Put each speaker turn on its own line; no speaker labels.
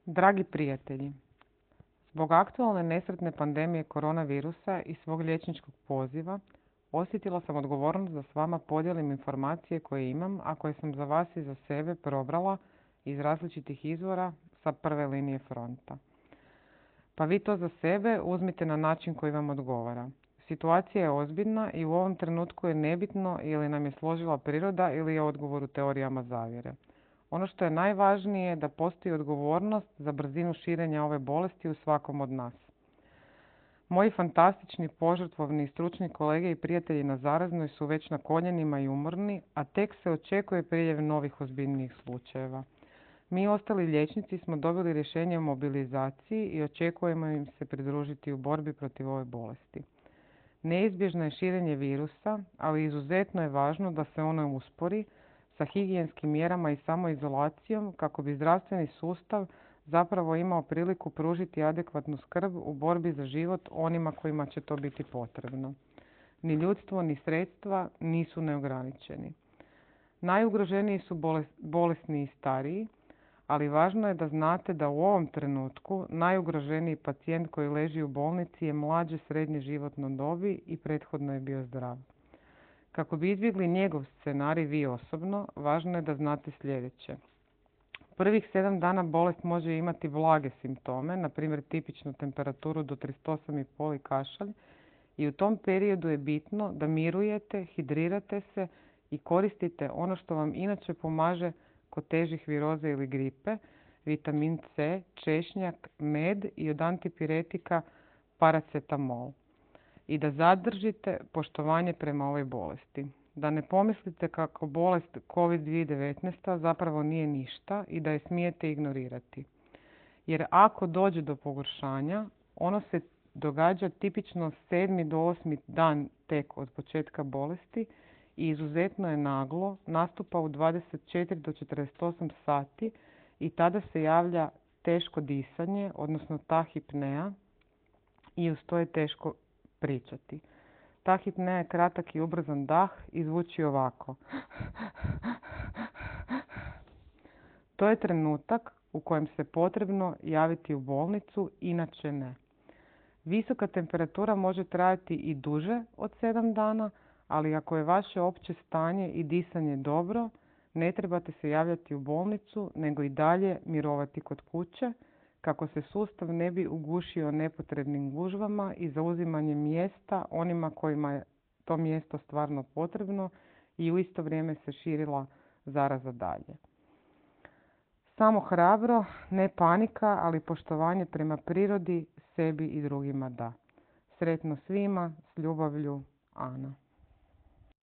Dragi prijatelji, zbog aktualne nesretne pandemije koronavirusa i svog liječničkog poziva, osjetila sam odgovornost da s vama podijelim informacije koje imam, a koje sam za vas i za sebe probrala iz različitih izvora sa prve linije fronta. Pa vi to za sebe uzmite na način koji vam odgovara. Situacija je ozbiljna i u ovom trenutku je nebitno ili nam je složila priroda ili je odgovor u teorijama zavjere. Ono što je najvažnije je da postoji odgovornost za brzinu širenja ove bolesti u svakom od nas. Moji fantastični, požrtvovni i stručni kolege i prijatelji na zaraznoj su već na koljenima i umorni, a tek se očekuje priljev novih ozbiljnijih slučajeva. Mi ostali liječnici smo dobili rješenje o mobilizaciji i očekujemo im se pridružiti u borbi protiv ove bolesti. Neizbježno je širenje virusa, ali izuzetno je važno da se ono uspori sa higijenskim mjerama i samoizolacijom kako bi zdravstveni sustav zapravo imao priliku pružiti adekvatnu skrb u borbi za život onima kojima će to biti potrebno. Ni ljudstvo, ni sredstva nisu neograničeni. Najugroženiji su bolesni i stariji, ali važno je da znate da u ovom trenutku najugroženiji pacijent koji leži u bolnici je mlađe srednje životno dobi i prethodno je bio zdrav. Kako bi izbjegli njegov scenarij vi osobno, važno je da znate sljedeće. Prvih 7 dana bolest može imati blage simptome, na primjer tipičnu temperaturu do 38,5 i kašalj, i u tom periodu je bitno da mirujete, hidrirate se i koristite ono što vam inače pomaže kod težih viroza ili gripe, vitamin C, češnjak, med i od antipiretika paracetamol. I da zadržite poštovanje prema ovoj bolesti. Da ne pomislite kako bolest COVID-19 zapravo nije ništa i da je smijete ignorirati. Jer ako dođe do pogoršanja, ono se događa tipično 7. do 8. dan tek od početka bolesti i izuzetno je naglo, nastupa u 24 do 48 sati i tada se javlja teško disanje, odnosno tahipnea, i uz to je teško pričati. Tahipnea je kratak i ubrzan dah i zvuči ovako. To je trenutak u kojem se potrebno javiti u bolnicu, inače ne. Visoka temperatura može trajati i duže od 7 dana, ali ako je vaše opće stanje i disanje dobro, ne trebate se javljati u bolnicu, nego i dalje mirovati kod kuće, kako se sustav ne bi ugušio nepotrebnim gužvama i zauzimanjem mjesta onima kojima je to mjesto stvarno potrebno i u isto vrijeme se širila zaraza dalje. Samo hrabro, ne panika, ali poštovanje prema prirodi, sebi i drugima da. Sretno svima, s ljubavlju, Ana.